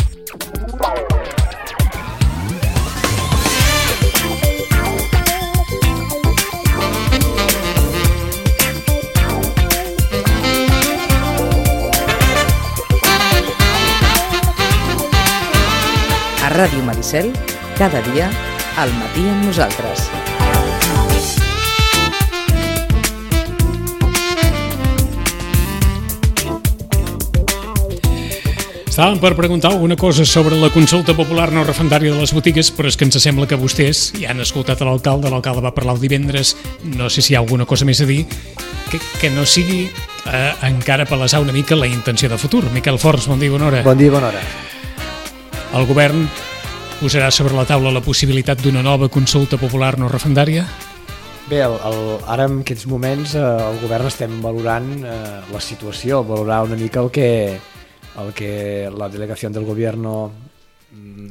A Ràdio Maricel, cada dia, al matí amb nosaltres. Estàvem per preguntar alguna cosa sobre la consulta popular no referendària de les botigues, però és que ens sembla que vostès ja han escoltat l'alcalde va parlar el divendres, no sé si hi ha alguna cosa més a dir, que no sigui encara palesar una mica la intenció de futur. Miquel Forns, bon dia, bona hora. Bon dia, bona hora. El govern posarà sobre la taula la possibilitat d'una nova consulta popular no referendària? Bé, ara en aquests moments el govern estem valorant la situació, valorar una mica el que la delegació del govern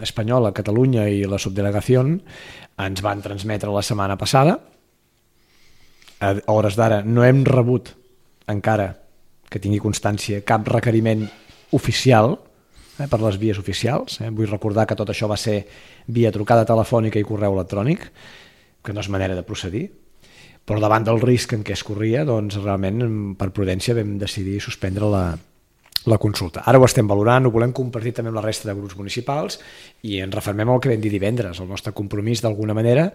espanyol a Catalunya i la subdelegació ens van transmetre la setmana passada. A hores d'ara no hem rebut encara, que tingui constància, cap requeriment oficial per les vies oficials. Vull recordar que tot això va ser via trucada telefònica i correu electrònic, que no és manera de procedir, però davant del risc en què es corria, doncs realment per prudència vam decidir suspendre la consulta. Ara ho estem valorant, ho volem compartir també amb la resta de grups municipals i ens refermem al que vam dir divendres, el nostre compromís d'alguna manera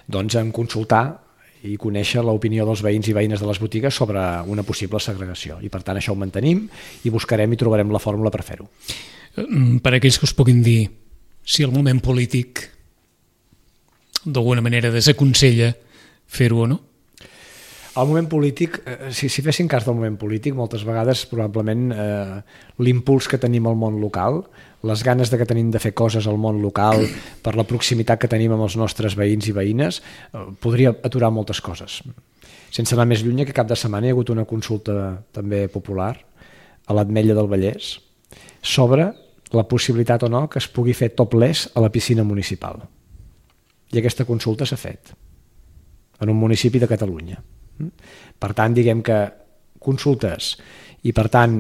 doncs, en consultar i conèixer l'opinió dels veïns i veïnes de les botigues sobre una possible segregació. I per tant això ho mantenim i buscarem i trobarem la fórmula per fer-ho. Per aquells que us puguin dir si el moment polític d'alguna manera desaconsella fer-ho o no? El moment polític, si fessin cas del moment polític, moltes vegades probablement l'impuls que tenim al món local, les ganes que tenim de fer coses al món local per la proximitat que tenim amb els nostres veïns i veïnes, podria aturar moltes coses. Sense anar més lluny, que cap de setmana hi ha hagut una consulta també popular a l'Ametlla del Vallès sobre la possibilitat o no que es pugui fer topless a la piscina municipal. I aquesta consulta s'ha fet en un municipi de Catalunya. Per tant, diguem que consultes i, per tant,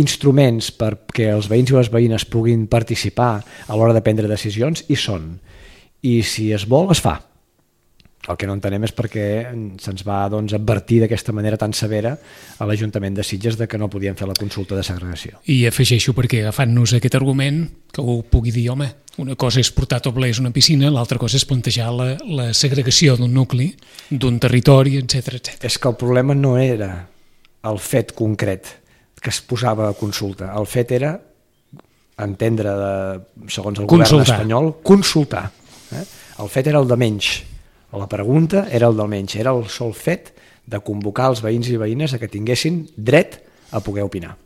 instruments perquè els veïns i les veïnes puguin participar a l'hora de prendre decisions hi són. I si es vol, es fa. El que no entenem és perquè se'ns va advertir d'aquesta manera tan severa a l'Ajuntament de Sitges de que no podien fer la consulta de segregació. I afegeixo perquè agafant-nos aquest argument que ho pugui dir, home, una cosa és portar topless una piscina, l'altra cosa és plantejar la segregació d'un nucli, d'un territori, etc. És que el problema no era el fet concret que es posava a consulta, el fet era entendre, segons el govern espanyol, consultar. El fet era el de menys. La pregunta era el del menys, era el sol fet de convocar els veïns i veïnes a que tinguessin dret a poder opinar.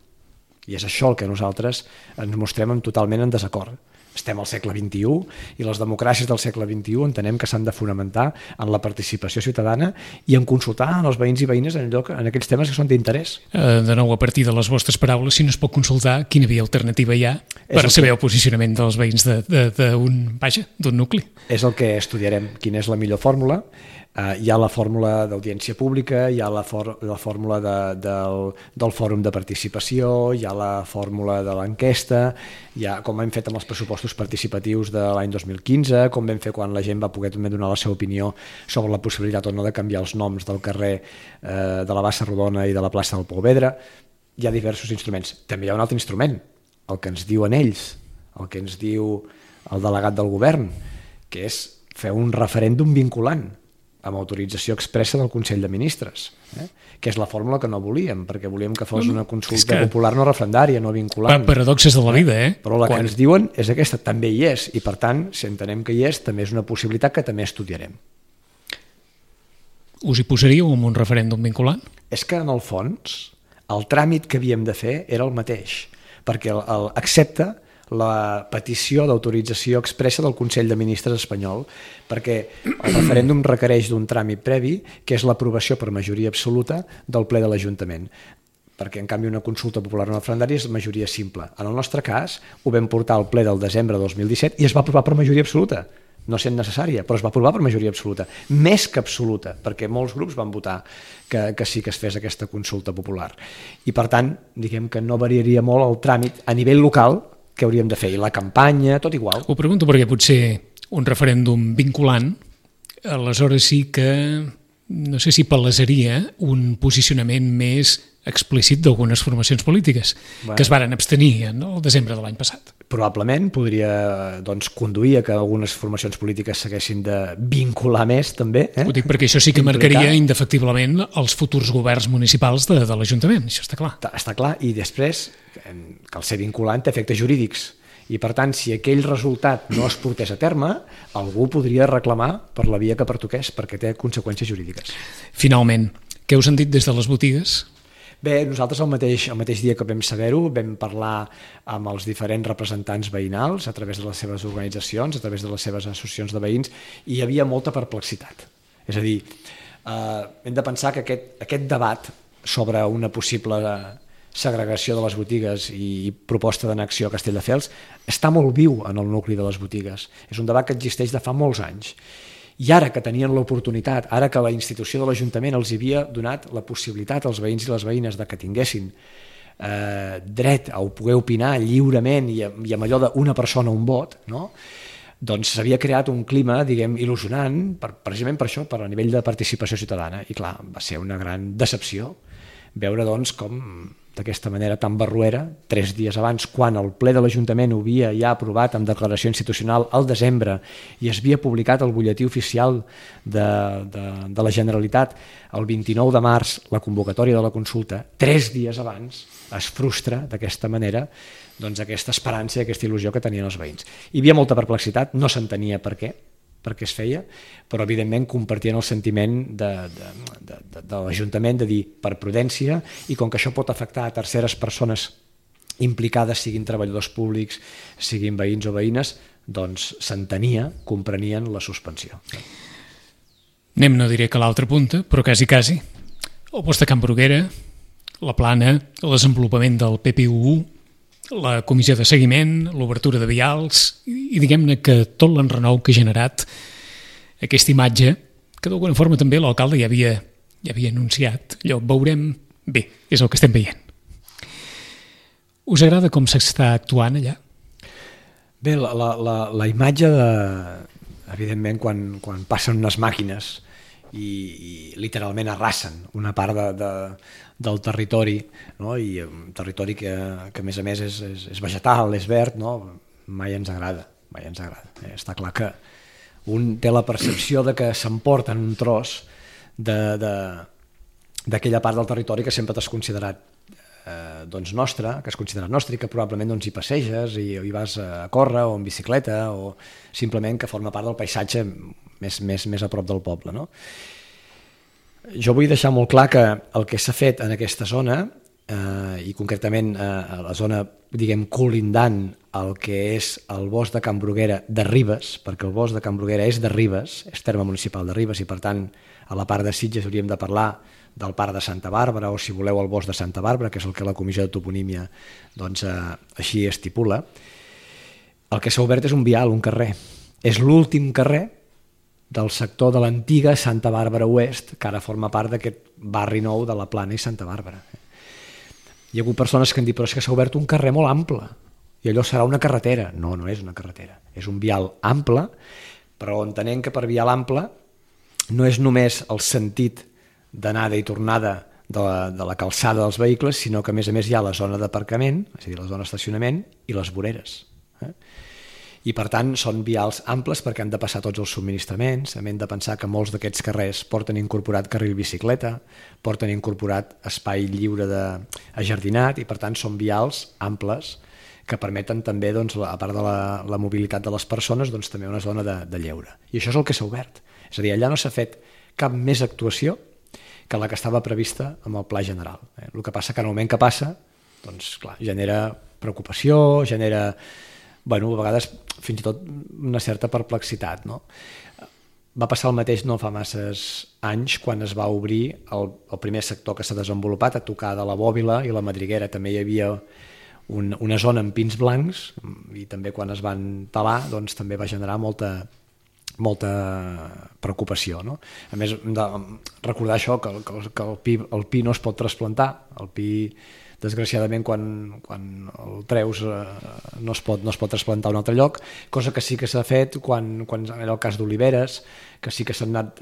I és això el que nosaltres ens mostrem totalment en desacord. Estem al segle XXI i les democràcies del segle XXI entenem que s'han de fonamentar en la participació ciutadana i en consultar els veïns i veïnes en aquells temes que són d'interès. De nou, a partir de les vostres paraules, si no es pot consultar, quina via alternativa hi ha per saber el posicionament dels veïns d'un nucli? És el que estudiarem, quina és la millor fòrmula. Hi ha la fórmula d'audiència pública, hi ha la fórmula del fòrum de participació, hi ha la fórmula de l'enquesta, hi ha com hem fet amb els pressupostos participatius de l'any 2015, com vam fer quan la gent va poder també donar la seva opinió sobre la possibilitat o no de canviar els noms del carrer de la Bassa Rodona i de la plaça del Polvedra. Hi ha diversos instruments. També hi ha un altre instrument, el que ens diuen ells, el que ens diu el delegat del govern, que és fer un referèndum vinculant amb autorització expressa del Consell de Ministres, que és la fórmula que no volíem, perquè volíem que fos una consulta popular no referendària, no vinculant. Paradoxes de la vida, Però la que ens diuen és aquesta, també hi és, i per tant, si entenem que hi és, també és una possibilitat que també estudiarem. Us hi posaríeu amb un referèndum vinculant? És que, en el fons, el tràmit que havíem de fer era el mateix, perquè accepta la petició d'autorització expressa del Consell de Ministres espanyol, perquè el referèndum requereix d'un tràmit previ, que és l'aprovació per majoria absoluta del ple de l'Ajuntament. Perquè, en canvi, una consulta popular no referendària és majoria simple. En el nostre cas, ho vam portar al ple del desembre de 2017 i es va aprovar per majoria absoluta. No sent necessària, però es va aprovar per majoria absoluta. Més que absoluta, perquè molts grups van votar que sí que es fes aquesta consulta popular. I, per tant, diguem que no variaria molt el tràmit a nivell local què hauríem de fer? I la campanya, tot igual. Ho pregunto perquè potser un referèndum vinculant, aleshores sí que no sé si palesaria un posicionament més explícit d'algunes formacions polítiques que es varen abstenir el desembre de l'any passat. Probablement podria conduir a que algunes formacions polítiques s'haguessin de vincular més també. Ho dic perquè això sí que marcaria indefectiblement els futurs governs municipals de l'Ajuntament, això està clar. Està clar, i després que el ser vinculant té efectes jurídics. I per tant, si aquell resultat no es portés a terme, algú podria reclamar per la via que pertoqués, perquè té conseqüències jurídiques. Finalment, què us han dit des de les botigues? Bé, nosaltres el mateix dia que vam saber-ho vam parlar amb els diferents representants veïnals a través de les seves organitzacions, a través de les seves associacions de veïns, i hi havia molta perplexitat. És a dir, hem de pensar que aquest debat sobre una possible segregació de les botigues i proposta d'annexió a Castelldefels està molt viu en el nucli de les botigues. És un debat que existeix de fa molts anys. I ara que tenien l'oportunitat, ara que la institució de l'Ajuntament els havia donat la possibilitat als veïns i les veïnes de que tinguessin dret a poder opinar lliurement i amb allò d'una persona un vot, no? Doncs s'havia creat un clima, diguem, il·lusionant, precisament per això, per a nivell de participació ciutadana. I clar, va ser una gran decepció veure doncs com d'aquesta manera tan barruera, 3 dies abans, quan el ple de l'Ajuntament ho havia ja aprovat amb declaració institucional al desembre i es havia publicat al butlletí oficial de la Generalitat el 29 de març, la convocatòria de la consulta, 3 dies abans es frustra d'aquesta manera doncs aquesta esperança i aquesta il·lusió que tenien els veïns. Hi havia molta perplexitat, no s'entenia per què es feia, però evidentment compartien el sentiment de l'Ajuntament de dir per prudència, i com que això pot afectar a terceres persones implicades, siguin treballadors públics, siguin veïns o veïnes, doncs s'entenia, comprenien la suspensió. Anem, no diré que a l'altra punta, però quasi. El bosc de Can Bruguera, la plana, el desenvolupament del PPU, la comissió de seguiment, l'obertura de vials i diguem-ne que tot l'enrenou que ha generat aquesta imatge que d'alguna forma també l'alcalde ja havia anunciat. Allò, veurem bé, és el que estem veient. Us agrada com s'està actuant allà? Bé, la imatge evidentment quan passen unes màquines i literalment arrasen una part del territori, no? I un territori que a més és vegetal, és verd, no? Mai ens agrada. Està clar que un té la percepció de que s'emporten un tros d'aquella part del territori que sempre t'has considerat nostre, que has considerat nostre i que probablement hi passeges i hi vas a córrer o en bicicleta o simplement que forma part del paisatge més a prop del poble, no? Jo vull deixar molt clar que el que s'ha fet en aquesta zona i concretament a la zona, diguem, colindant el que és el bosc de Can Bruguera de Ribes, perquè el bosc de Can Bruguera és de Ribes, és terme municipal de Ribes i per tant a la part de Sitges hauríem de parlar del parc de Santa Bàrbara o si voleu el bosc de Santa Bàrbara, que és el que la comissió de toponímia doncs, així estipula. El que s'ha obert és un vial, un carrer. És l'últim carrer del sector de l'antiga Santa Bàrbara Oest, que ara forma part d'aquest barri nou de la Plana i Santa Bàrbara. Hi ha hagut persones que han dit, però és que s'ha obert un carrer molt ample, i allò serà una carretera. No, no és una carretera, és un vial ample, però entenent que per vial ample no és només el sentit d'anada i tornada de la calçada dels vehicles, sinó que a més hi ha la zona d'aparcament, és a dir, la zona d'estacionament, i les voreres. I per tant són vials amples perquè han de passar tots els subministraments, hem de pensar que molts d'aquests carrers porten incorporat carril bicicleta, porten incorporat espai lliure ajardinat i per tant són vials amples que permeten també, doncs, a part de la mobilitat de les persones, doncs, també una zona de lleure. I això és el que s'ha obert. És a dir, allà no s'ha fet cap més actuació que la que estava prevista amb el pla general. El que passa que en el moment que passa, doncs, clar, genera preocupació, genera... Bueno, a vegades fins i tot una certa perplexitat, no? Va passar el mateix no fa masses anys quan es va obrir el primer sector que s'ha desenvolupat a tocar de la Bòbila i la Madriguera. També hi havia una zona amb pins blancs i també quan es van talar doncs, també va generar molta preocupació, no? A més, hem de recordar això, que el pi no es pot trasplantar. El pi, desgraciadament, quan el treus no es pot trasplantar a un altre lloc, cosa que sí que s'ha fet quan era el cas d'oliveres, que sí que s'han anat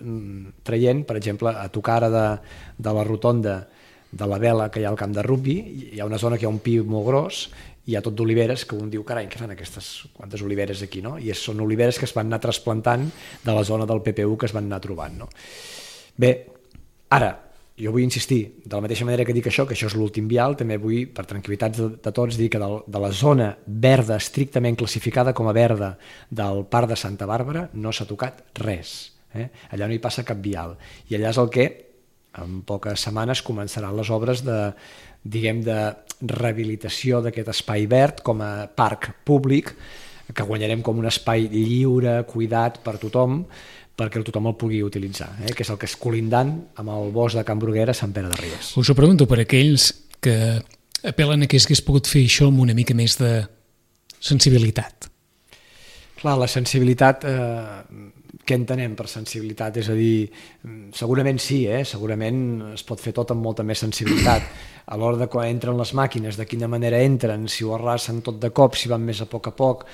traient, per exemple, a tocar ara de la rotonda de la Vela que hi ha al camp de rugbi, hi ha una zona que hi ha un pi molt gros, i hi ha tot d'oliveres que un diu, carai, què fan quantes oliveres aquí, no? I són oliveres que es van anar trasplantant de la zona del PPU que es van anar trobant, no? Bé, ara, jo vull insistir, de la mateixa manera que dic això, que això és l'últim vial, també vull, per tranquil·litat de tots, dir que de la zona verda, estrictament classificada com a verda del Parc de Santa Bàrbara, no s'ha tocat res. Allà no hi passa cap vial. I allà és el que, en poques setmanes, començaran les obres de rehabilitació d'aquest espai verd com a parc públic, que guanyarem com un espai lliure, cuidat per tothom, perquè tothom el pugui utilitzar, que és el que és colindant amb el bosc de Can Bruguera a Sant Pere de Ribes. Us ho pregunto per aquells que apel·len a que s'hagués pogut fer això amb una mica més de sensibilitat. Clar, la sensibilitat, què entenem per sensibilitat? És a dir, segurament sí, segurament es pot fer tot amb molta més sensibilitat. A l'hora de quan entren les màquines, de quina manera entren, si ho arrasen tot de cop, si van més a poc,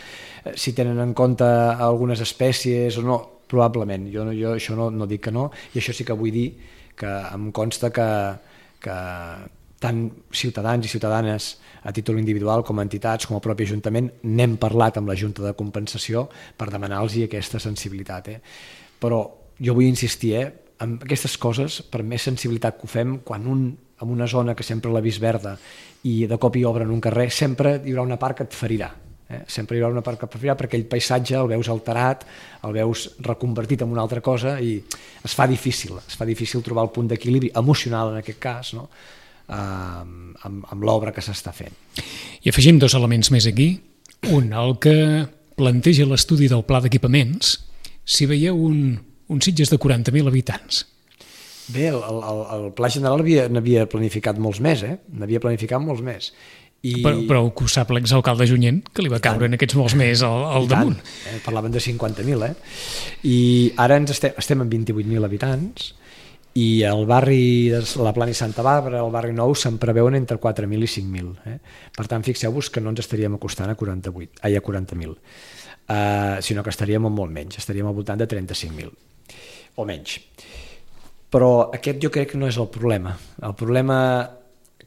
si tenen en compte algunes espècies o no, probablement. Jo això no dic que no, i això sí que vull dir que em consta que tant ciutadans i ciutadanes a títol individual com entitats com el propi Ajuntament n'hem parlat amb la Junta de Compensació per demanar-los aquesta sensibilitat. Però jo vull insistir, en aquestes coses, per més sensibilitat que ho fem, quan en una zona que sempre l'ha vist verda i de cop hi obren un carrer, sempre hi haurà una part que et ferirà. Sempre hi haurà una part que preferirà perquè aquell paisatge el veus alterat, el veus reconvertit en una altra cosa i es fa difícil trobar el punt d'equilibri emocional en aquest cas, no? Amb l'obra que s'està fent. I afegim 2 elements més aquí. Un, el que planteja l'estudi del pla d'equipaments, si veieu un Sitges de 40.000 habitants. Bé, el pla general n'havia planificat molts més, n'havia planificat molts més. Però ho sap l'exalcalde Junyent, que li va caure en aquests molts més al damunt. Parlaven de 50.000, i ara estem en 28.000 habitants, i el barri de la Plana i Santa Bàrbara, el barri nou, se'n preveuen entre 4.000 i 5.000. Per tant, fixeu-vos que no ens estaríem acostant a 40.000, sinó que estaríem molt menys, estaríem al voltant de 35.000 o menys. Però aquest jo crec que no és el problema. El problema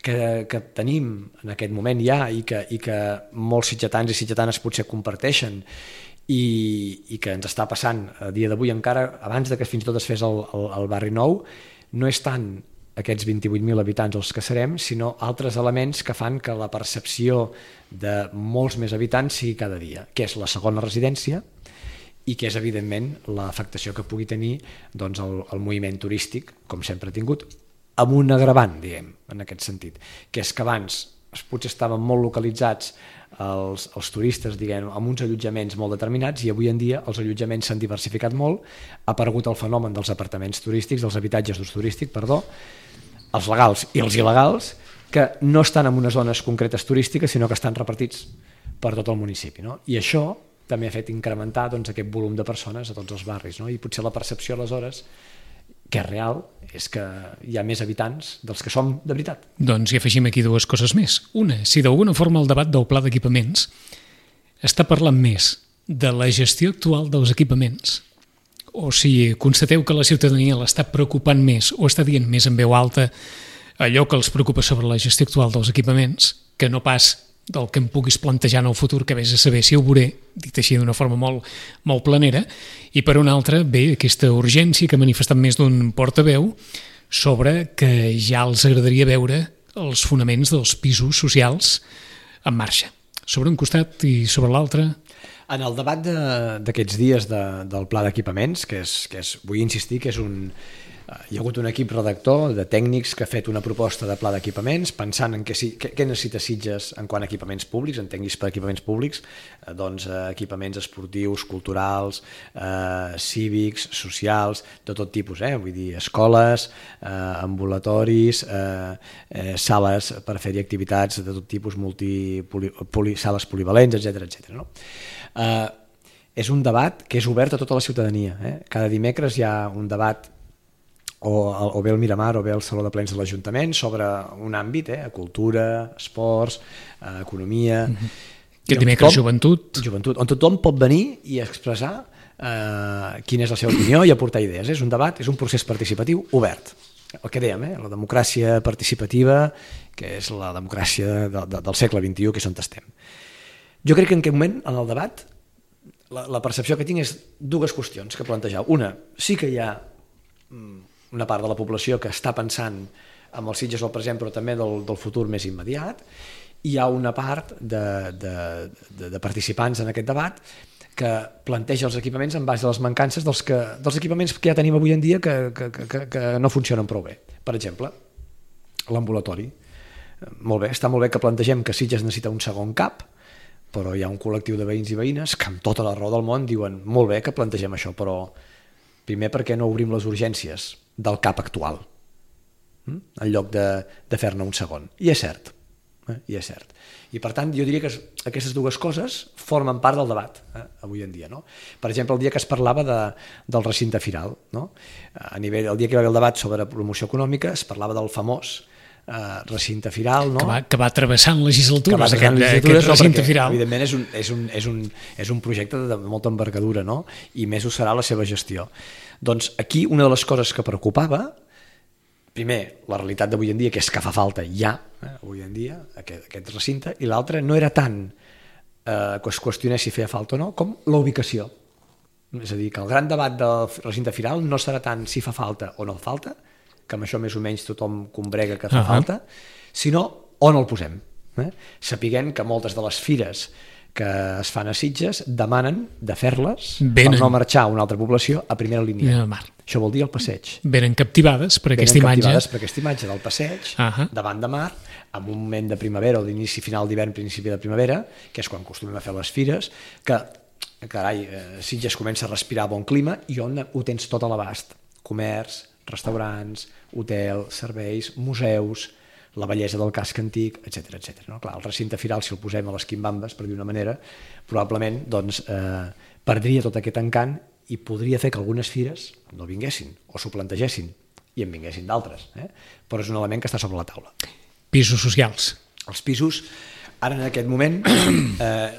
que tenim en aquest moment ja i que molts sitgetans i sitgetanes potser comparteixen i que ens està passant a dia d'avui encara, abans de que fins i tot es fes el barri nou, no és tant aquests 28.000 habitants els que serem, sinó altres elements que fan que la percepció de molts més habitants sigui cada dia, que és la segona residència i que és, evidentment, l'afectació que pugui tenir el moviment turístic, com sempre ha tingut, amb un agravant, diguem, en aquest sentit, que és que abans potser estaven molt localitzats els turistes, diguem, amb uns allotjaments molt determinats, i avui en dia els allotjaments s'han diversificat molt, ha aparegut el fenomen dels apartaments turístics, dels habitatges d'ús turístic, els legals i els il·legals, que no estan en unes zones concretes turístiques, sinó que estan repartits per tot el municipi, no? I això també ha fet incrementar aquest volum de persones a tots els barris, no? I potser la percepció aleshores, que és real, és que hi ha més habitants dels que som de veritat. Doncs hi afegim aquí 2 coses més. Una, si d'alguna forma el debat del pla d'equipaments està parlant més de la gestió actual dels equipaments, o si constateu que la ciutadania l'està preocupant més o està dient més en veu alta allò que els preocupa sobre la gestió actual dels equipaments, que no pas del que em puguis plantejar en el futur, que vés a saber si ho veuré, dit així d'una forma molt planera, i per una altra, bé, aquesta urgència que ha manifestat més d'un portaveu sobre que ja els agradaria veure els fonaments dels pisos socials en marxa, sobre un costat i sobre l'altre. En el debat d'aquests dies del pla d'equipaments, que és, vull insistir que és hi ha hagut un equip redactor de tècnics que ha fet una proposta de pla d'equipaments pensant en què necessita Sitges en quant a equipaments públics, en tècnics per equipaments públics, doncs equipaments esportius, culturals, cívics, socials, de tot tipus, vull dir, escoles, ambulatoris, sales per fer-hi activitats de tot tipus, sales polivalents, etc. No? És un debat que és obert a tota la ciutadania. Cada dimecres hi ha un debat o bé el Miramar o bé el Saló de Plens de l'Ajuntament sobre un àmbit, cultura, esports, economia, Que dimecres joventut. Joventut, on tothom pot venir i expressar quina és la seva opinió i aportar idees. És un debat, és un procés participatiu obert. El que dèiem, la democràcia participativa, que és la democràcia del segle XXI, que és on estem. Jo crec que en aquest moment, en el debat, la percepció que tinc és dues qüestions que plantejau. Una, sí que hi ha una part de la població que està pensant en els Sitges del present, però també del futur més immediat. Hi ha una part de participants en aquest debat que planteja els equipaments en base a les mancances dels equipaments que ja tenim avui en dia que no funcionen prou bé. Per exemple, l'ambulatori. Molt bé, està molt bé que plantegem que Sitges necessita un segon CAP, però hi ha un col·lectiu de veïns i veïnes que amb tota la raó del món diuen molt bé que plantegem això, però primer perquè no obrim les urgències del CAP actual en lloc de fer-ne un segon. I és cert. I és cert. I per tant jo diria que aquestes dues coses formen part del debat avui en dia. No? Per exemple, el dia que es parlava del recinte firal, no? El dia que hi va haver el debat sobre promoció econòmica es parlava del famós recinte firal, no? que va travessant legislatures, aquest recinte firal. Evidentment és un projecte de molta envergadura, no? I més ho serà la seva gestió. Doncs aquí una de les coses que preocupava, primer, la realitat d'avui en dia, que és que fa falta ja, avui en dia, aquest recinte, i l'altre no era tant que es qüestionés si feia falta o no, com la ubicació. És a dir, que el gran debat del recinte firal no serà tant si fa falta o no falta, que amb això més o menys tothom combrega que fa falta, sinó on el posem. Sapiguem que moltes de les fires que es fan a Sitges demanen de fer-les per no marxar a una altra població a primera línia. Això vol dir el passeig. Venen captivades per aquesta imatge. Venen captivades per aquesta imatge del passeig, davant de mar, en un moment de primavera o d'inici final d'hivern, principi de primavera, que és quan acostumem a fer les fires, que carai, Sitges comença a respirar bon clima i on ho tens tot a l'abast. Comerç, restaurants, hotel, serveis, museus, la bellesa del casc antic, etc. No? Clar, el recinte firal, si el posem a les quimbambes, per dir una manera, probablement perdria tot aquest encant i podria fer que algunes fires no vinguessin o s'ho plantegessin i en vinguessin d'altres. Però és un element que està sobre la taula. Pisos socials. Els pisos, ara en aquest moment,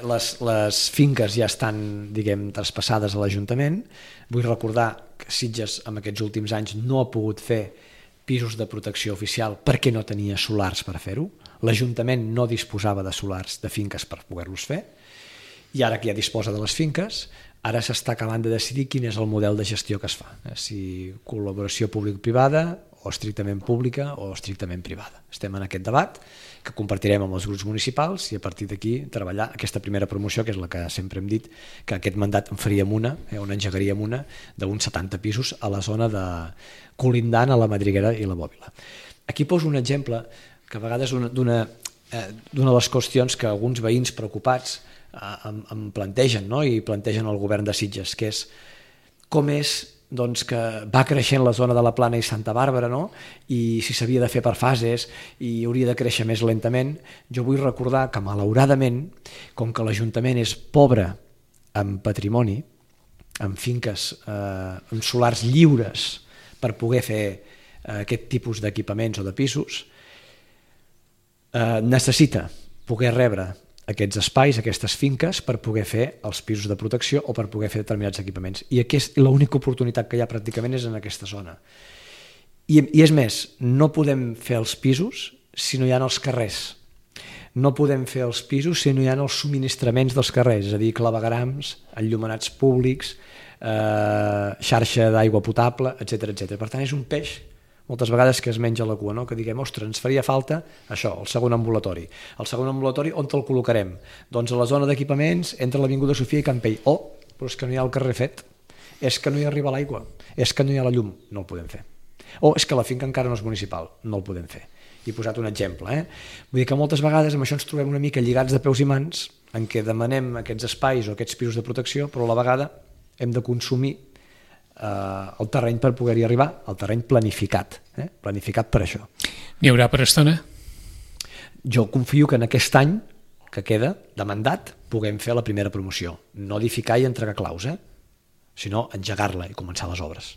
les finques ja estan, diguem, traspassades a l'Ajuntament. Vull recordar que Sitges en aquests últims anys no ha pogut fer pisos de protecció oficial perquè no tenia solars per fer-ho. L'Ajuntament no disposava de solars de finques per poder-los fer i ara que ja disposa de les finques, ara s'està acabant de decidir quin és el model de gestió que es fa, si col·laboració públic-privada o estrictament pública o estrictament privada. Estem en aquest debat que compartirem amb els grups municipals i a partir d'aquí treballar aquesta primera promoció, que és la que sempre hem dit que aquest mandat en faríem una, on engegaríem una d'uns 70 pisos a la zona de colindant a la Madriguera i la Bòbila. Aquí poso un exemple que a vegades d'una de les qüestions que alguns veïns preocupats em plantegen, no? I plantegen al govern de Sitges, que és com és que va creixent la zona de la Plana i Santa Bàrbara, no? I si s'havia de fer per fases i hauria de créixer més lentament. Jo vull recordar que malauradament, com que l'Ajuntament és pobre en patrimoni, en finques, en solars lliures per poder fer aquest tipus d'equipaments o de pisos, necessita poder rebre aquests espais, aquestes finques, per poder fer els pisos de protecció o per poder fer determinats equipaments. I l'única oportunitat que hi ha pràcticament és en aquesta zona. I és més, no podem fer els pisos si no hi ha els carrers. No podem fer els pisos si no hi ha els subministraments dels carrers, és a dir, claveguerams, enllumenats públics, xarxa d'aigua potable, etc. Per tant, és un peix moltes vegades que es menja la cua, no? Que diguem, ostres, ens faria falta això, el segon ambulatori. El segon ambulatori on te'l col·locarem? Doncs a la zona d'equipaments entre l'Avinguda Sofia i Campell. Però és que no hi ha el carrer fet, és que no hi arriba l'aigua, és que no hi ha la llum, no el podem fer. O és que la finca encara no és municipal, no el podem fer. I he posat un exemple. Vull dir que moltes vegades amb això ens trobem una mica lligats de peus i mans en què demanem aquests espais o aquests pisos de protecció, però a la vegada hem de consumir el terreny per poder-hi arribar, el terreny planificat, planificat per això. N'hi haurà per estona? Jo confio que en aquest any que queda de mandat puguem fer la primera promoció, no edificar i entregar claus, sinó engegar-la i començar les obres.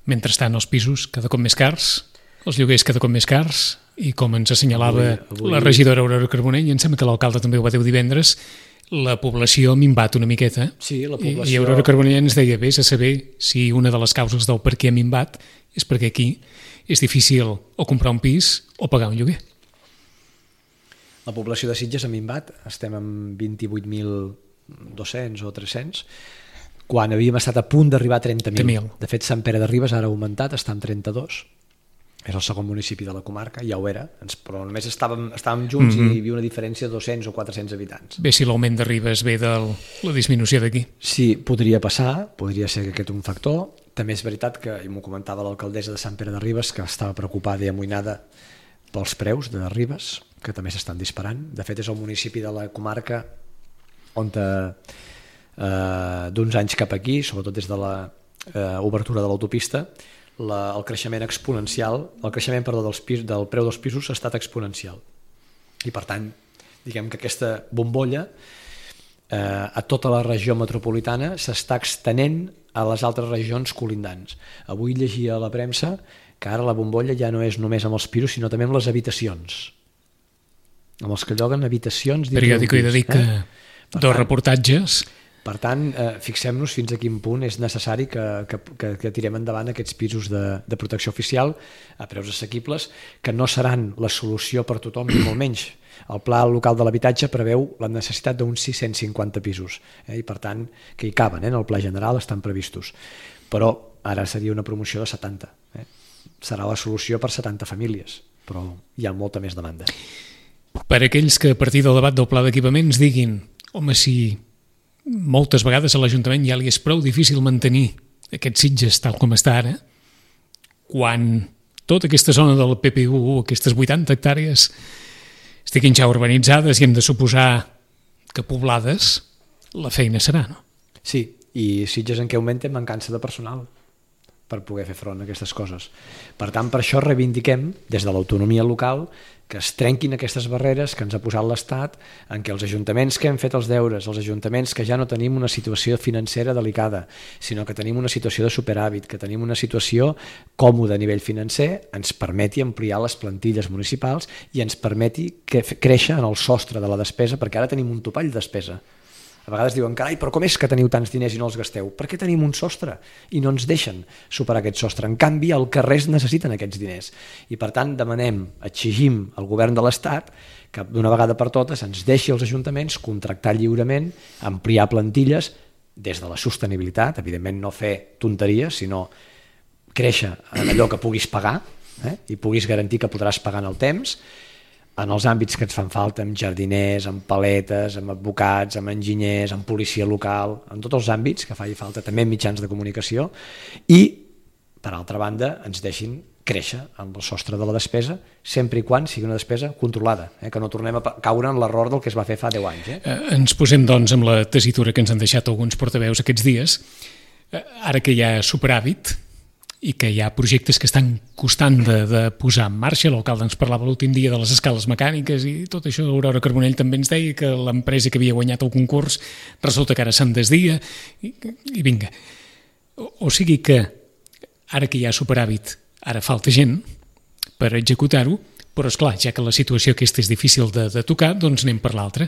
Mentrestant, els pisos cada cop més cars? els lloguers cada cop més cars i com ens assenyalava Avui- la regidora Aurora Carbonell, i em sembla que l'alcalde també ho va dir divendres, la població ha minvat una miqueta. Sí, la I població... Aurora Carbonell ens deia, vés a saber si una de les causes del per què ha minvat és perquè aquí és difícil o comprar un pis o pagar un lloguer. La població de Sitges ha minvat, estem amb 28.200 o 300, quan havíem estat a punt d'arribar a 30.000. 30.000. De fet, Sant Pere de Ribes ara ha augmentat, està en 32. És el segon municipi de la comarca, ja ho era, però només estàvem junts i hi havia una diferència de 200 o 400 habitants. Bé, si l'augment de Ribes ve de la disminució d'aquí. Sí, podria passar, podria ser que aquest un factor. També és veritat que, i m'ho comentava l'alcaldessa de Sant Pere de Ribes, que estava preocupada i amoïnada pels preus de Ribes, que també s'estan disparant. De fet, és el municipi de la comarca on d'uns anys cap aquí, sobretot des de l'obertura de l'autopista, el creixement exponencial, el creixement, del preu dels pisos ha estat exponencial. I per tant, diguem que aquesta bombolla a tota la regió metropolitana s'està extenent a les altres regions colindants. Avui llegia a la premsa que ara la bombolla ja no és només amb els pisos, sinó també amb les habitacions. Amb els que lloguen habitacions... Periòdico, he de dir que dos reportatges... Per tant, fixem-nos fins a quin punt és necessari que tirem endavant aquests pisos de protecció oficial a preus assequibles, que no seran la solució per tothom, ni molt menys. El Pla Local de l'Habitatge preveu la necessitat d'uns 650 pisos, i per tant, que hi caben, en el Pla General estan previstos. Però ara seria una promoció de 70. Serà la solució per 70 famílies, però hi ha molta més demanda. Per aquells que a partir del debat del pla d'equipaments diguin, home, si moltes vegades a l'Ajuntament ja li és prou difícil mantenir aquests Sitges tal com està ara, quan tota aquesta zona del PPU, aquestes 80 hectàrees, estiguin ja urbanitzades i hem de suposar que poblades, la feina serà, no? Sí, i Sitges en què augmenta mancança de personal per poder fer front a aquestes coses. Per tant, per això reivindiquem, des de l'autonomia local, que es trenquin aquestes barreres que ens ha posat l'Estat, en què els ajuntaments que hem fet els deures, els ajuntaments que ja no tenim una situació financera delicada, sinó que tenim una situació de superàvit, que tenim una situació còmoda a nivell financer, ens permeti ampliar les plantilles municipals i ens permeti créixer en el sostre de la despesa, perquè ara tenim un topall de despesa. A vegades diuen, carai, però com és que teniu tants diners i no els gasteu? Per què tenim un sostre i no ens deixen superar aquest sostre? En canvi, al carrer es necessiten aquests diners. I per tant, demanem, exigim al govern de l'Estat que d'una vegada per totes ens deixi als ajuntaments contractar lliurement, ampliar plantilles des de la sostenibilitat, evidentment no fer tonteries, sinó créixer en allò que puguis pagar i puguis garantir que podràs pagar en el temps, en els àmbits que ens fan falta, amb jardiners, amb paletes, amb advocats, amb enginyers, amb policia local, en tots els àmbits que faci falta, també en mitjans de comunicació, i, per altra banda, ens deixin créixer amb el sostre de la despesa, sempre i quan sigui una despesa controlada, que no tornem a caure en l'error del que es va fer fa 10 anys. Ens posem, doncs, amb la tessitura que ens han deixat alguns portaveus aquests dies, ara que hi ha superàvit, i que hi ha projectes que estan costant de posar en marxa. L'alcalde ens parlava l'últim dia de les escales mecàniques i tot això. Aurora Carbonell també ens deia que l'empresa que havia guanyat el concurs resulta que ara se'n desdia i vinga. O sigui que ara que hi ha superàvit, ara falta gent per executar-ho, però esclar, ja que la situació aquesta és difícil de tocar, doncs anem per l'altra.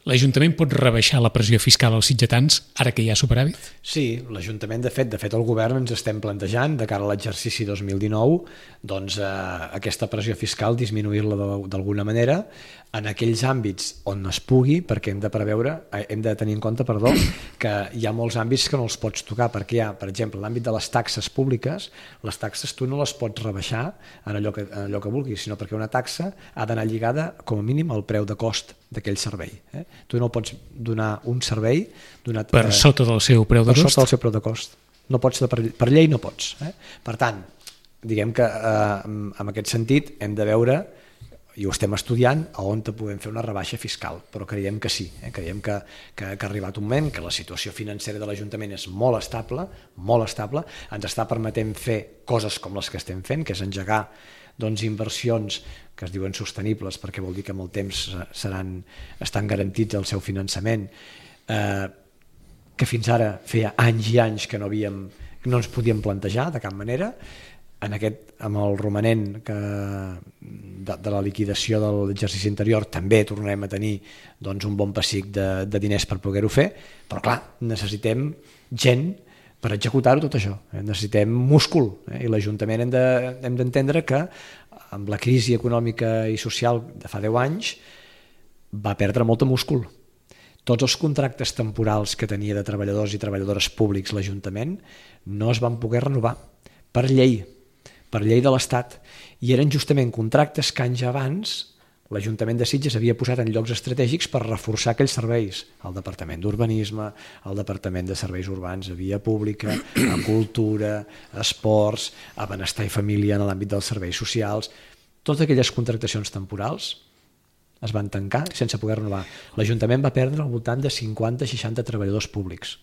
L'Ajuntament pot rebaixar la pressió fiscal als sitgetans ara que hi ha superàvit? Sí, l'Ajuntament, de fet el govern ens estem plantejant de cara a l'exercici 2019 doncs aquesta pressió fiscal disminuir-la d'alguna manera en aquells àmbits on es pugui, perquè hem de tenir en compte que hi ha molts àmbits que no els pots tocar, perquè hi ha, per exemple, l'àmbit de les taxes públiques, les taxes tu no les pots rebaixar en allò que vulguis, sinó perquè una taxa ha d'anar lligada com a mínim al preu de cost d'aquell servei. Tu no pots donar un servei per sota del seu preu de cost? Per sota del seu preu de cost. No pots, per llei no pots. Per tant, diguem que en aquest sentit hem de veure, i ho estem estudiant, a on podem fer una rebaixa fiscal, però creiem que sí, creiem que ha arribat un moment que la situació financera de l'Ajuntament és molt estable, ens està permetent fer coses com les que estem fent, que és engegar inversions que es diuen sostenibles, perquè vol dir que amb el temps estan garantits el seu finançament, que fins ara feia anys i anys que no ens podíem plantejar de cap manera, amb el romanent de la liquidació de l'exercici anterior també tornarem a tenir doncs, un bon pessic de diners per poder-ho fer, però clar, necessitem gent per executar-ho tot això, necessitem múscul, i l'Ajuntament hem d'entendre que amb la crisi econòmica i social de fa 10 anys va perdre molt de múscul. Tots els contractes temporals que tenia de treballadors i treballadores públics l'Ajuntament no es van poder renovar per llei de l'Estat, i eren justament contractes que anys abans l'Ajuntament de Sitges havia posat en llocs estratègics per reforçar aquells serveis, el Departament d'Urbanisme, el Departament de Serveis Urbans, a Via Pública, a Cultura, a Esports, a Benestar i Família en l'àmbit dels serveis socials. Totes aquelles contractacions temporals es van tancar sense poder renovar. L'Ajuntament va perdre al voltant de 50-60 treballadors públics,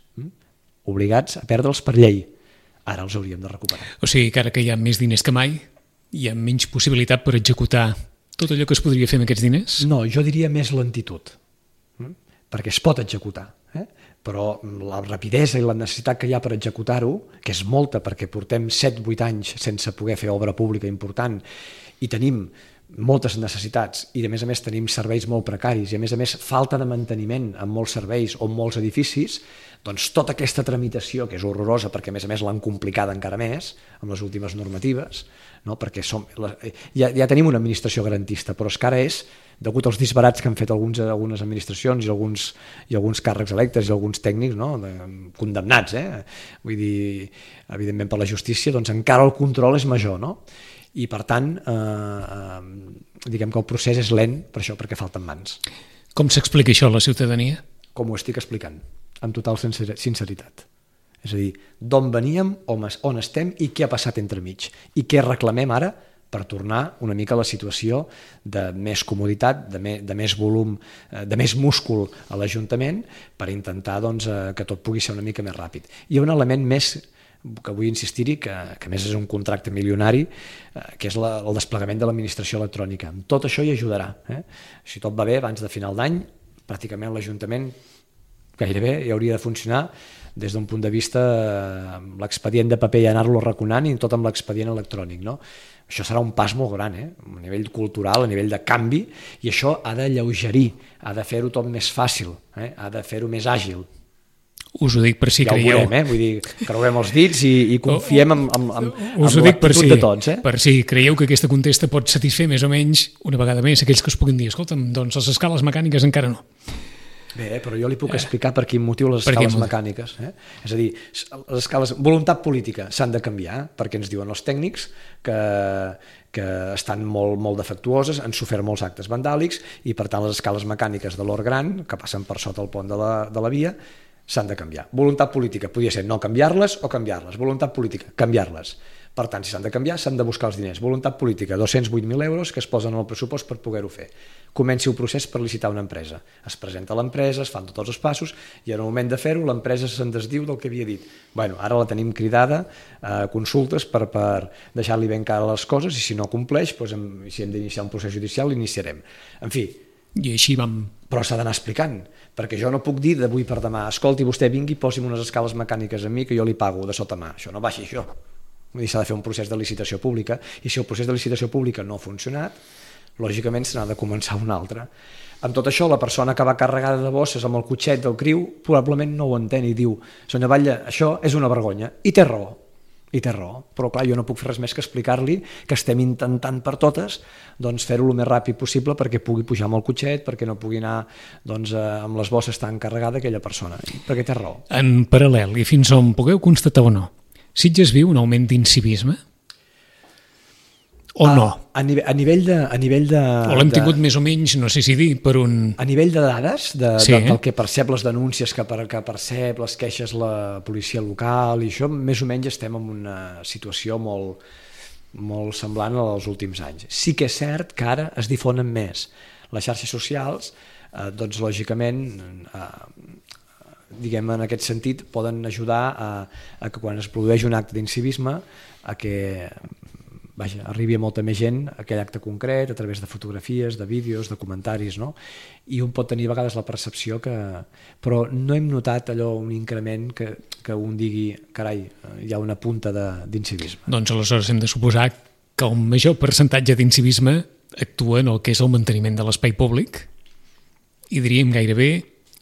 obligats a perdre'ls per llei. Ara els hauríem de recuperar. O sigui que ara que hi ha més diners que mai, hi ha menys possibilitat per executar tot allò que es podria fer amb aquests diners? No, jo diria més lentitud, perquè es pot executar, però la rapidesa i la necessitat que hi ha per executar-ho, que és molta perquè portem 7-8 anys sense poder fer obra pública important i tenim moltes necessitats i a més tenim serveis molt precaris i a més falta de manteniment en molts serveis o en molts edificis, doncs tota aquesta tramitació, que és horrorosa perquè a més l'han complicada encara més amb les últimes normatives, no? Perquè ja tenim una administració garantista, però és que ara és, degut als disbarats que han fet algunes administracions i alguns càrrecs electes i alguns tècnics, no? Condemnats, vull dir, evidentment per la justícia, doncs encara el control és major, no? I per tant, diguem que el procés és lent per això, perquè falten mans. Com s'explica això a la ciutadania? Com ho estic explicant, amb total sinceritat. És a dir, d'on veníem, on estem i què ha passat entremig. I què reclamem ara per tornar una mica a la situació de més comoditat, de més volum, de més múscul a l'Ajuntament, per intentar doncs, que tot pugui ser una mica més ràpid. Hi ha un element més que vull insistir-hi, que a més és un contracte milionari, que és el desplegament de l'administració electrònica. Amb tot això hi ajudarà. Si tot va bé, abans de final d'any, pràcticament l'Ajuntament gairebé hi hauria de funcionar des d'un punt de vista amb l'expedient de paper i anar-lo arraconant i tot amb l'expedient electrònic. No? Això serà un pas molt gran, a nivell cultural, a nivell de canvi, i això ha d'alleugerir, ha de fer-ho tot més fàcil, ha de fer-ho més àgil. Us ho dic per si ja creieu... Ja ho veurem, vull dir, creuem els dits i confiem en l'actitud de tots. Per si creieu que aquesta contesta pot satisfer més o menys, una vegada més, aquells que us puguin dir, escolta'm, doncs les escales mecàniques encara no. Bé, però jo li puc explicar per quin motiu les escales mecàniques. És a dir, les escales, voluntat política s'han de canviar, perquè ens diuen els tècnics que estan molt defectuoses, han sofert molts actes vandàlics i per tant les escales mecàniques de l'Hort Gran, que passen per sota el pont de la via, s'han de canviar. Voluntat política podria ser no canviar-les o canviar-les. Voluntat política, canviar-les. Per tant, si s'han de canviar, s'han de buscar els diners. Voluntat política, 208.000 euros que es posen en el pressupost per poder-ho fer. Comenci el procés per licitar una empresa. Es presenta l'empresa, es fan tots els passos i en el moment de fer-ho l'empresa se'n desdiu del que havia dit. Bueno, ara la tenim cridada a consultes per deixar-li ben cara les coses i si no compleix, doncs, si hem d'iniciar un procés judicial, l'iniciarem. En fi, i així vam... Però s'ha d'anar explicant, perquè jo no puc dir d'avui per demà, escolti, vostè vingui i posi'm unes escales mecàniques a mi que jo li pago de sota mà. Això no va així, això. Vull dir, s'ha de fer un procés de licitació pública i si el procés de licitació pública no ha funcionat, lògicament se n'ha de començar un altre. Amb tot això, la persona que va carregada de bosses amb el cotxet del criu probablement no ho entén i diu, senyor Batlle, això és una vergonya. I té raó. Però clar, jo no puc fer res més que explicar-li que estem intentant per totes doncs, fer-ho el més ràpid possible perquè pugui pujar amb el cotxet, perquè no pugui anar doncs, amb les bosses tan carregada aquella persona, perquè té raó. En paral·lel, i fins on pugueu constatar o no, Sitges viu un augment d'incivisme? O no? A nivell de... O l'hem tingut més o menys, no sé si dir, per un... A nivell de dades, del que percep les denúncies que percep, les queixes la policia local i això, més o menys estem en una situació molt semblant als últims anys. Sí que és cert que ara es difonen més. Les xarxes socials, doncs lògicament, diguem en aquest sentit, poden ajudar a que quan es produeix un acte d'incivisme a que arribi a molta més gent aquell acte concret a través de fotografies, de vídeos, de comentaris, no? I un pot tenir a vegades la percepció que... Però no hem notat allò, un increment que un digui, carai, hi ha una punta d'incivisme. Doncs aleshores hem de suposar que el major percentatge d'incivisme actua en el que és el manteniment de l'espai públic i diríem gairebé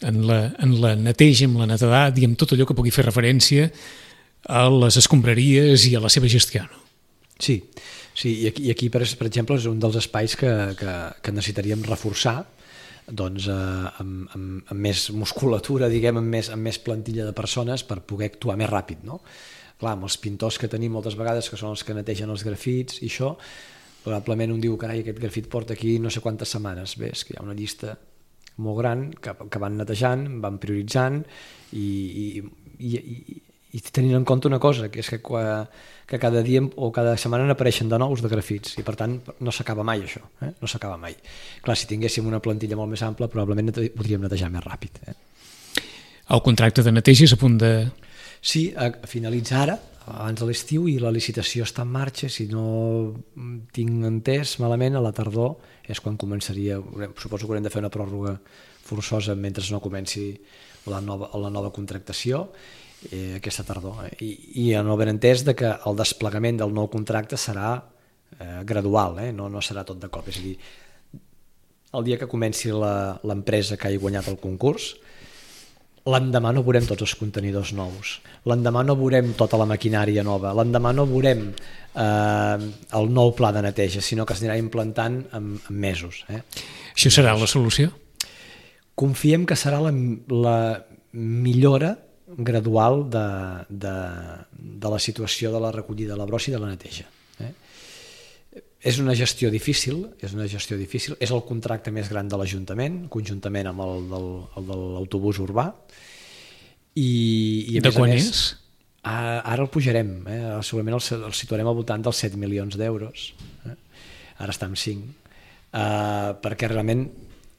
en la neteja, en la netedat i en tot allò que pugui fer referència a les escombraries i a la seva gestió. No? Sí, i aquí per exemple és un dels espais que necessitaríem reforçar doncs, amb més musculatura, diguem, amb més plantilla de persones per poder actuar més ràpid, no? Clar, amb els pintors que tenim moltes vegades, que són els que netegen els grafits i això, probablement un diu, carai, aquest grafit porta aquí no sé quantes setmanes. Bé, és que hi ha una llista molt gran que van netejant, van prioritzant i tenint en compte una cosa, que és que cada dia o cada setmana n'apareixen de nous de grafits i per tant no s'acaba mai això, no s'acaba mai. Clar, si tinguéssim una plantilla molt més ampla probablement podríem netejar més ràpid. El contracte de neteja és a punt de... Sí, finalitza ara, abans de l'estiu, i la licitació està en marxa. Si no tinc entès malament, a la tardor és quan començaria, suposo que haurem de fer una pròrroga forçosa mentre no comenci la nova contractació aquesta tardor. I no ben entès que el desplegament del nou contracte serà gradual, no serà tot de cop. És a dir, el dia que comenci l'empresa que hagi guanyat el concurs, l'endemà no veurem tots els contenidors nous, l'endemà no veurem tota la maquinària nova, l'endemà no veurem el nou pla de neteja, sinó que s'anirà implantant en mesos. Això serà la solució? Confiem que serà la millora gradual de la situació de la recollida de la brossa i de la neteja. És una gestió difícil, és el contracte més gran de l'Ajuntament, conjuntament amb el de l'autobús urbà. I de quan és? Ara el pujarem, segurament el situarem al voltant dels 7 milions d'euros. Ara està en 5. Perquè realment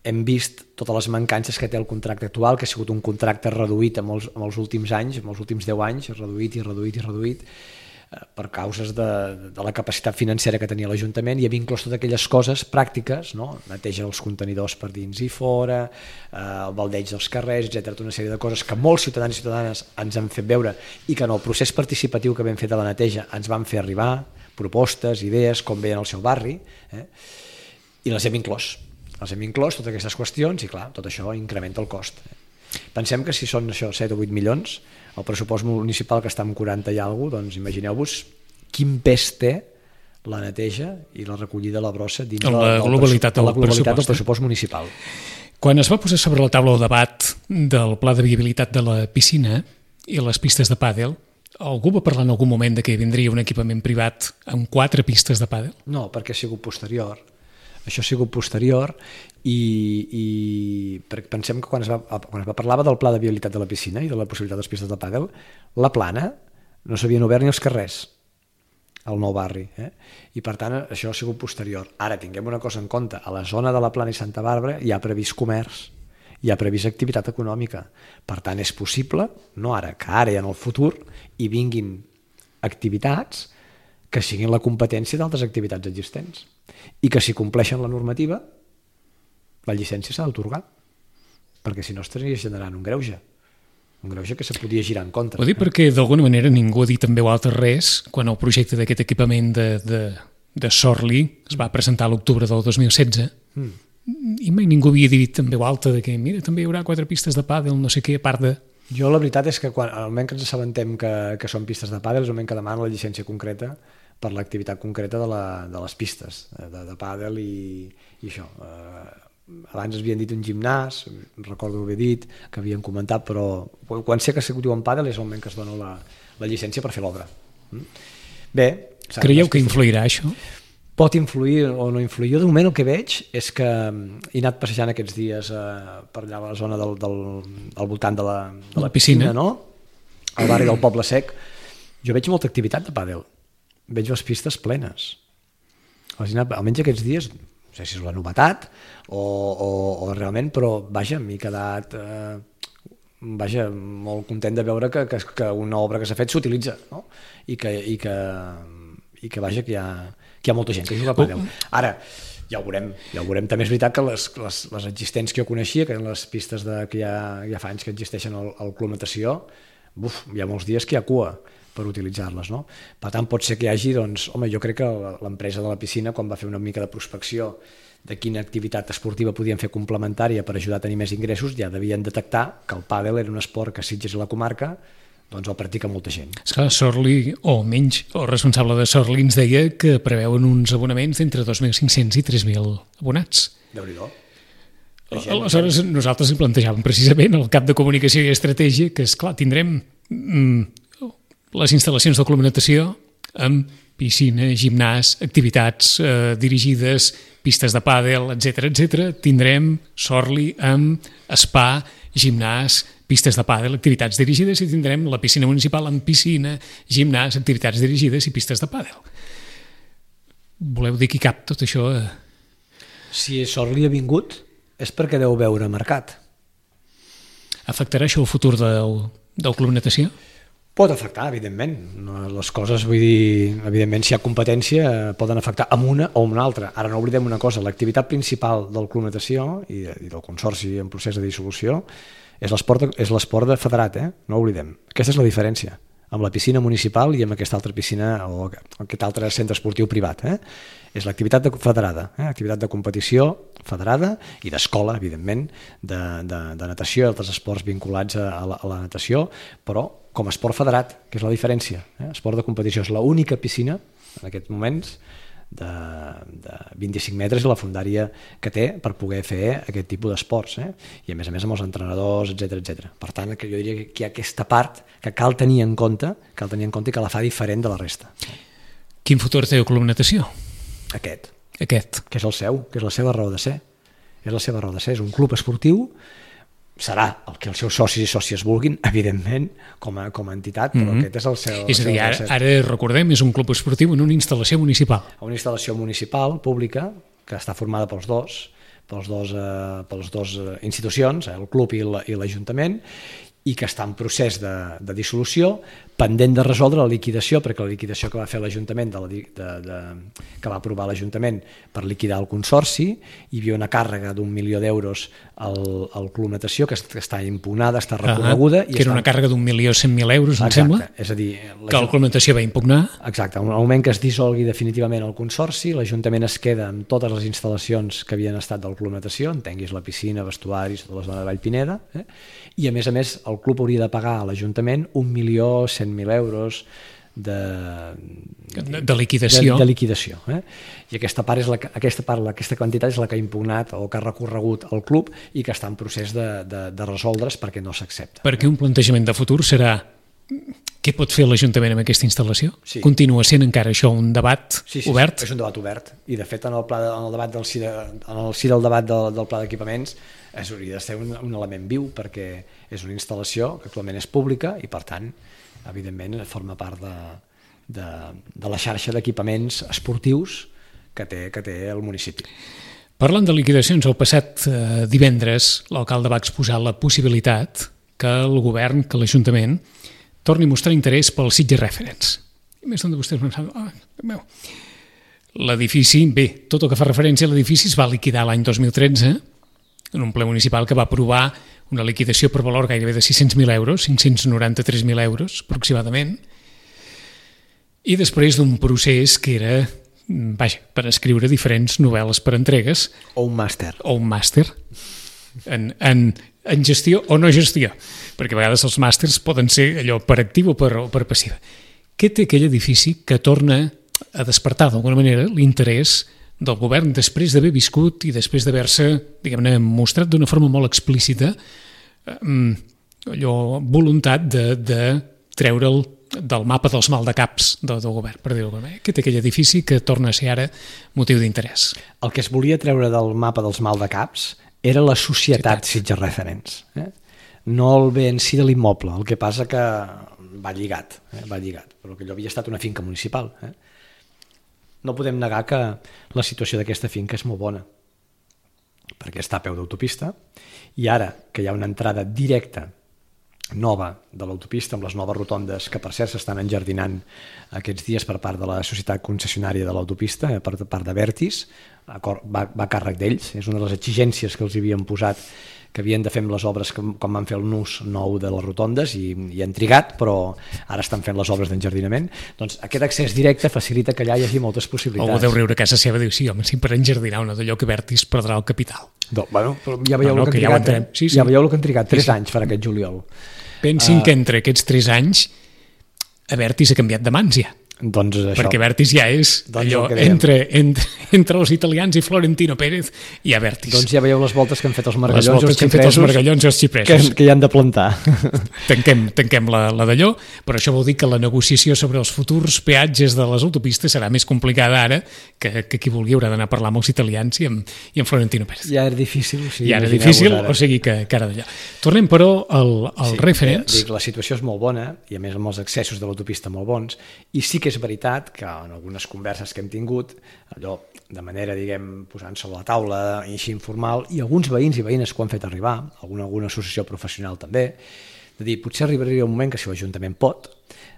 hem vist totes les mancances que té el contracte actual, que ha sigut un contracte reduït en els últims anys, en els últims 10 anys, reduït, per causes de la capacitat financera que tenia l'Ajuntament, i havia inclòs totes aquelles coses pràctiques, no? Neteja els contenidors per dins i fora, el baldeig dels carrers, etc. Una sèrie de coses que molts ciutadans i ciutadanes ens han fet veure i que en el procés participatiu que vam fer de la neteja ens van fer arribar propostes, idees, com veien al seu barri, i les hem inclòs. Totes aquestes qüestions, i clar, tot això incrementa el cost. Pensem que si són això 7 o 8 milions, el pressupost municipal que està en 40 i alguna cosa, doncs imagineu-vos quin pes té la neteja i la recollida de la brossa dins la globalitat del pressupost municipal. Quan es va posar sobre la taula el debat del pla de viabilitat de la piscina i les pistes de pàdel, algú va parlar en algun moment de que vindria un equipament privat amb 4 pistes de pàdel? No, perquè ha sigut posterior. Això ha sigut posterior i pensem que quan es va parlava del pla de viabilitat de la piscina i de la possibilitat de les pistes de pàdel, la plana no s'havien obert ni els carrers al nou barri, i per tant això ha sigut posterior. Ara tinguem una cosa en compte, a la zona de la Plana i Santa Bàrbara hi ha previst comerç, hi ha previst activitat econòmica, per tant és possible, no ara, que ara i en el futur hi vinguin activitats que siguin la competència d'altres activitats existents i que si compleixen la normativa la llicència s'ha d'atorgar, perquè si no estaria generant un greuge que se podia girar en contra. Ho dic perquè d'alguna manera ningú ha dit en veu alta res quan el projecte d'aquest equipament de Sorli es va presentar a l'octubre del 2016 i mai ningú havia dit en veu alta de que mira, també hi haurà 4 pistes de pàdel, no sé què, a part de... Jo la veritat és que al moment que ens assabentem que són pistes de pàdel és el moment que demanen la llicència concreta per l'activitat concreta de les pistes de pàdel i això. Abans havien dit un gimnàs, recordo haver dit, que havien comentat, però quan sé que se diu en pàdel és el moment que es dona la llicència per fer l'obra. Bé... Creieu que influirà això? Pot influir o no influir. Jo de moment el que veig és que he anat passejant aquests dies per allà a la zona al voltant de la piscina, no? Al barri del Poble Sec. Jo veig molta activitat de pàdel. Veig les pistes plenes. Almenys aquests dies, no sé si és la novetat o realment, però vaja, m'he quedat molt content de veure que una obra que s'ha fet s'utilitza, no? I que vaja, que hi ha molta gent que juga a pàdel. Ara, ja ho veurem. També és veritat que les existents que jo coneixia, que eren les pistes que ja fa anys que existeixen al Club Natació, hi ha molts dies que hi ha cua per utilitzar-les, no? Per tant, pot ser que hi hagi, doncs, home, jo crec que l'empresa de la piscina, quan va fer una mica de prospecció de quina activitat esportiva podien fer complementària per ajudar a tenir més ingressos, ja devien detectar que el pàdel era un esport que a Sitges i la comarca doncs el practica molta gent. Esclar, Sorli, o menys, el responsable de Sorli ens deia que preveuen uns abonaments d'entre 2.500 i 3.000 abonats. Déu-n'hi-do. Aleshores, nosaltres plantejàvem precisament el cap de comunicació i estratègia que, esclar, tindrem les instal·lacions del Club Natació amb piscina, gimnàs, activitats dirigides, pistes de pàdel, etc. Tindrem Sorli amb spa, gimnàs, pistes de pàdel, activitats dirigides, i tindrem la piscina municipal amb piscina, gimnàs, activitats dirigides i pistes de pàdel. Voleu dir que hi cap tot això? Si Sorli ha vingut és perquè deu veure mercat. Afectarà això el futur del Club Natació? Pot afectar, evidentment. Les coses, vull dir, evidentment, si hi ha competència, poden afectar amb una o amb una altra. Ara no oblidem una cosa, l'activitat principal del Club Natació i del Consorci en procés de dissolució és l'esport de federat, no ho oblidem. Aquesta és la diferència amb la piscina municipal i amb aquesta altra piscina o aquest altre centre esportiu privat. És l'activitat federada, activitat de competició federada i d'escola, evidentment, de natació i altres esports vinculats a la natació, però com a esport federat, que és la diferència. Esport de competició és l'única piscina, en aquests moments, de 25 metres i la fondària que té per poder fer aquest tipus d'esports, i a més amb els entrenadors, etc. Per tant, jo diria que hi ha aquesta part que cal tenir en compte i que la fa diferent de la resta. Quin futur té el Club Natació? Aquest. Que és el seu, que és la seva raó de ser. És un club esportiu, serà el que els seus socis i sòcies vulguin, evidentment, com a entitat, però aquest és el seu... És a dir, ara recordem, és un club esportiu en una instal·lació municipal. Una instal·lació municipal, pública, que està formada pels dos institucions, el club i l'Ajuntament, i que està en procés de dissolució, pendent de resoldre la liquidació, perquè la liquidació que va fer l'Ajuntament, que va aprovar l'Ajuntament per liquidar el Consorci, hi havia una càrrega d'1 milió d'euros al Club Natació, que està impugnada, està recorreguda... Que era una càrrega d'1.100.000 euros, em sembla, és a dir, que el Club Natació va impugnar. Exacte, al moment que es dissolgui definitivament el Consorci, l'Ajuntament es queda amb totes les instal·lacions que havien estat del Club Natació, entenguis la piscina, vestuaris, tota la zona de Vallpineda, i a més el club hauria de pagar a l'Ajuntament 1.100.000 euros de liquidació. I aquesta quantitat és la que ha impugnat o que ha recorregut el club i que està en procés de resoldre's perquè no s'accepta. Perquè un plantejament de futur serà què pot fer l'Ajuntament amb aquesta instal·lació? Sí. Continua sent encara això un debat obert? Sí, és un debat obert, i de fet en el si del debat del pla d'equipaments hauria de ser un element viu, perquè és una instal·lació que actualment és pública i per tant evidentment forma part de la xarxa d'equipaments esportius que té el municipi. Parlant de liquidacions, el passat divendres l'alcalde va exposar la possibilitat que el govern, que l'Ajuntament torni a mostrar interès pel Sitges Reference. I més d'on vostès pensaven, l'edifici, tot el que fa referència a l'edifici es va liquidar l'any 2013 en un ple municipal que va aprovar una liquidació per valor gairebé de 600.000 euros, 593.000 euros aproximadament, i després d'un procés que era, per escriure diferents novel·les per entregues. O un màster. En gestió o no gestió, perquè a vegades els màsters poden ser allò per actiu o per passiva. Què té aquell edifici que torna a despertar d'alguna manera l'interès del govern després d'haver viscut i després d'haver-se, diguem-ne, mostrat d'una forma molt explícita voluntat de treure'l del mapa dels maldecaps del govern, per dir-ho alguna manera. Què té aquell edifici que torna a ser ara motiu d'interès? El que es volia treure del mapa dels maldecaps era la societat Sitges Reference. No el bé en si de l'immoble, el que passa que va lligat, però que allò havia estat una finca municipal. No podem negar que la situació d'aquesta finca és molt bona, perquè està a peu d'autopista, i ara que hi ha una entrada directa, nova, de l'autopista, amb les noves rotondes, que per cert s'estan enjardinant aquests dies per part de la societat concessionària de l'autopista, per part de Vertis, va a càrrec d'ells, és una de les exigències que els havien posat, que havien de fer amb les obres quan van fer el nus nou de les rotondes i han trigat, però ara estan fent les obres d'enjardinament. Doncs aquest accés directe facilita que allà hi hagi moltes possibilitats. Algú deu riure a casa seva i diu, sí, home, si per enjardinar una d'allò que Vertis perdrà el capital. Bueno, però ja veieu el que han trigat. Ja veieu el que han trigat, 3 anys per aquest juliol. Pensin que entre aquests 3 anys a Vertis ha canviat de mans ja. Doncs això. Perquè Vertis ja és allò entre els italians i Florentino Pérez i a Vertis. Doncs ja veieu les voltes que han fet els margallons i els xipresos que hi han de plantar. Tanquem la d'allò, però això vol dir que la negociació sobre els futurs peatges de les autopistes serà més complicada ara que qui vulgui haurà d'anar a parlar amb els italians i amb Florentino Pérez. Ja era difícil. O sigui que ara d'allò. Tornem, però, al referents. La situació és molt bona i a més amb els accessos de l'autopista molt bons, i sí que és veritat que en algunes converses que hem tingut, allò de manera, diguem, posant sobre la taula i així informal, i alguns veïns i veïnes que ho han fet arribar, alguna associació professional també, de dir, potser arribaria un moment que si l'Ajuntament pot,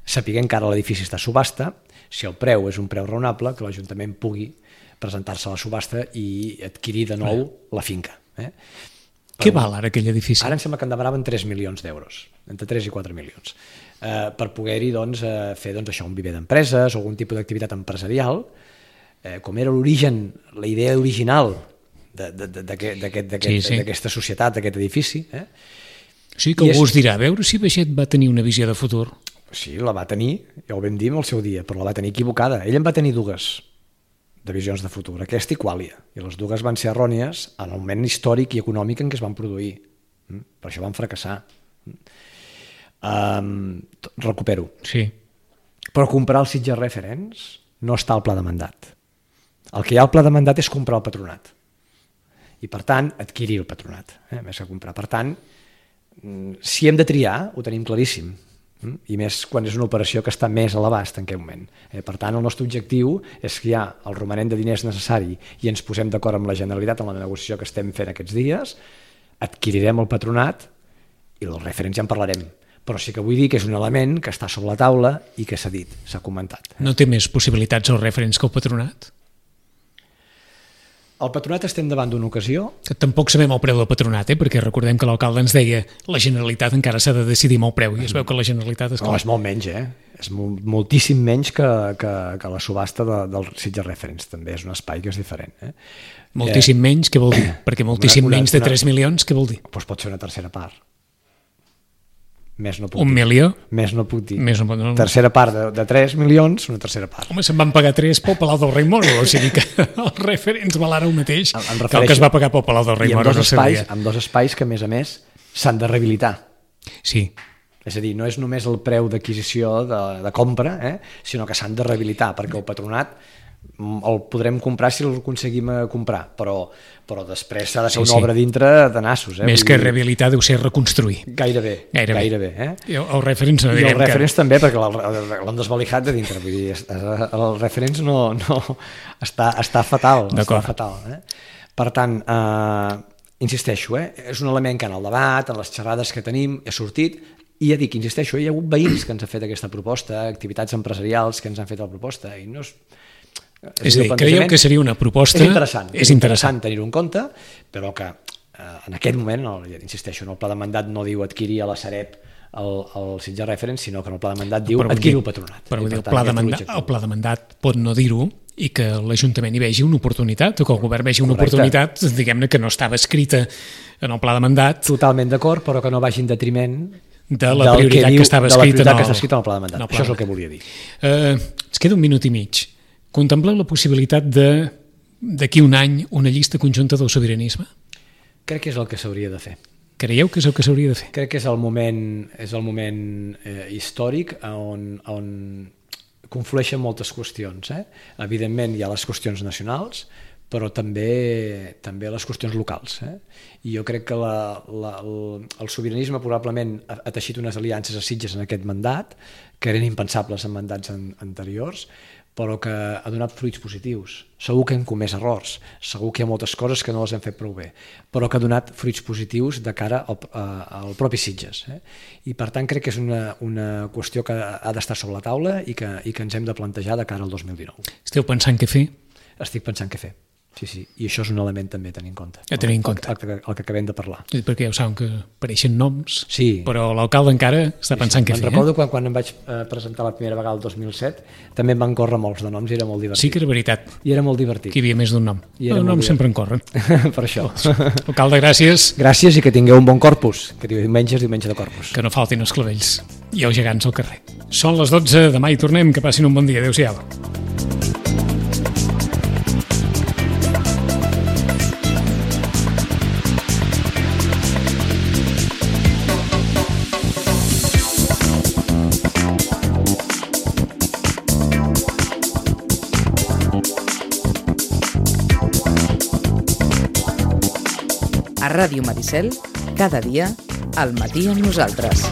sapiguem que ara l'edifici està a subhasta, si el preu és un preu raonable, que l'Ajuntament pugui presentar-se a la subhasta i adquirir de nou la finca. Què val ara aquell edifici? Ara em sembla que en demanaven 3 milions d'euros, entre 3 i 4 milions. Per poder-hi fer això, un viver d'empreses o algun tipus d'activitat empresarial, com era l'origen, la idea original d'aquesta societat, d'aquest edifici. Sí, que algú us dirà, a veure si Baixet va tenir una visió de futur. Sí, la va tenir, ja ho vam dir en el seu dia, però la va tenir equivocada. Ell en va tenir dues de visions de futur, aquesta i Quàlia, i les dues van ser errònies en el moment històric i econòmic en què es van produir. Per això van fracassar. Recupero. Sí. Però comprar el Sitges Reference no està al pla de mandat. El que hi ha al pla de mandat és comprar el patronat. I, per tant, adquirir el patronat, més que comprar. Per tant, si hem de triar, ho tenim claríssim. I més quan és una operació que està més a l'abast en aquest moment. Per tant, el nostre objectiu és que hi ha el romanent de diners necessari i ens posem d'acord amb la Generalitat en la negociació que estem fent aquests dies, adquirirem el patronat i dels referents ja en parlarem. Però sí que vull dir que és un element que està sobre la taula i que s'ha dit, s'ha comentat. No té més possibilitats els referents que el patronat? El patronat estem davant d'una ocasió... Tampoc sabem el preu del patronat, perquè recordem que l'alcalde ens deia la Generalitat encara s'ha de decidir amb el preu, i es veu que la Generalitat... No, és molt menys, És moltíssim menys que la subhasta del Sitges Reference, també és un espai que és diferent. Moltíssim menys, què vol dir? Perquè moltíssim menys de 3 milions, què vol dir? Doncs pot ser una tercera part. Més no puc dir. 1 milió? Més no puc dir. Tercera part de 3 milions, una tercera part. Home, se'n van pagar 3 pel Palau del Rei Moro, o sigui que el referents val ara el mateix que el que es va pagar pel Palau del Rei Moro. I amb dos espais que, a més, s'han de rehabilitar. Sí. És a dir, no és només el preu d'adquisició de compra, sinó que s'han de rehabilitar, perquè el patronat el podrem comprar si el aconseguim comprar, però després s'ha de fer una obra dintre de nassos. Més que rehabilitar deu ser reconstruir. Gairebé. El referents no direm que... I el referents també, perquè l'han desvalijat de dintre. Vull dir, el referents no està fatal. Per tant, insisteixo, és un element que en el debat, en les xerrades que tenim, ha sortit, i ja dic, insisteixo, hi ha hagut veïns que ens han fet aquesta proposta, activitats empresarials que ens han fet la proposta, i no és... És a dir, creieu que seria una proposta... És interessant tenir-ho en compte, però que en aquest moment, insisteixo, en el pla de mandat no diu adquirir a la Sareb el Sitges Reference, sinó que en el pla de mandat diu adquirir el patronat. Però el pla de mandat pot no dir-ho i que l'Ajuntament hi vegi una oportunitat, o que el govern vegi una oportunitat, diguem-ne, que no estava escrita en el pla de mandat. Totalment d'acord, però que no vagi en detriment de la prioritat que estava escrita en el pla de mandat. Això és el que volia dir. Ens queda 1 minut i mig. Contempleu la possibilitat d'aquí un any una llista conjunta del sobiranisme? Crec que és el que s'hauria de fer. Creieu que és el que s'hauria de fer? Crec que és el moment històric on conflueixen moltes qüestions. Evidentment hi ha les qüestions nacionals, però també les qüestions locals. I jo crec que el sobiranisme probablement ha teixit unes aliances a Sitges en aquest mandat, que eren impensables en mandats anteriors, però que ha donat fruits positius. Segur que hem comès errors, segur que hi ha moltes coses que no les hem fet prou bé, però que ha donat fruits positius de cara al propi Sitges. I per tant crec que és una qüestió que ha d'estar sobre la taula i que ens hem de plantejar de cara al 2019. Esteu pensant què fer? Estic pensant què fer. Sí, i això és un element també a tenir en compte. A tenir en compte. El que acabem de parlar. Perquè ja ho saben que apareixen noms, sí. Però l'alcalde encara està pensant què fer. Recordo quan em vaig presentar la primera vegada el 2007, també em van córrer molts de noms i era molt divertit. Sí que era veritat. I era molt divertit. Que hi havia més d'un nom. Els noms sempre en corren. Per això. Alcalde, gràcies. Gràcies i que tingueu un bon Corpus, que diumenge és diumenge de Corpus. Que no faltin els clavells i els gegants al carrer. Són les 12, demà hi tornem, que passin un bon dia. Adéu-siau. A Ràdio Maricel, cada dia, al matí amb nosaltres.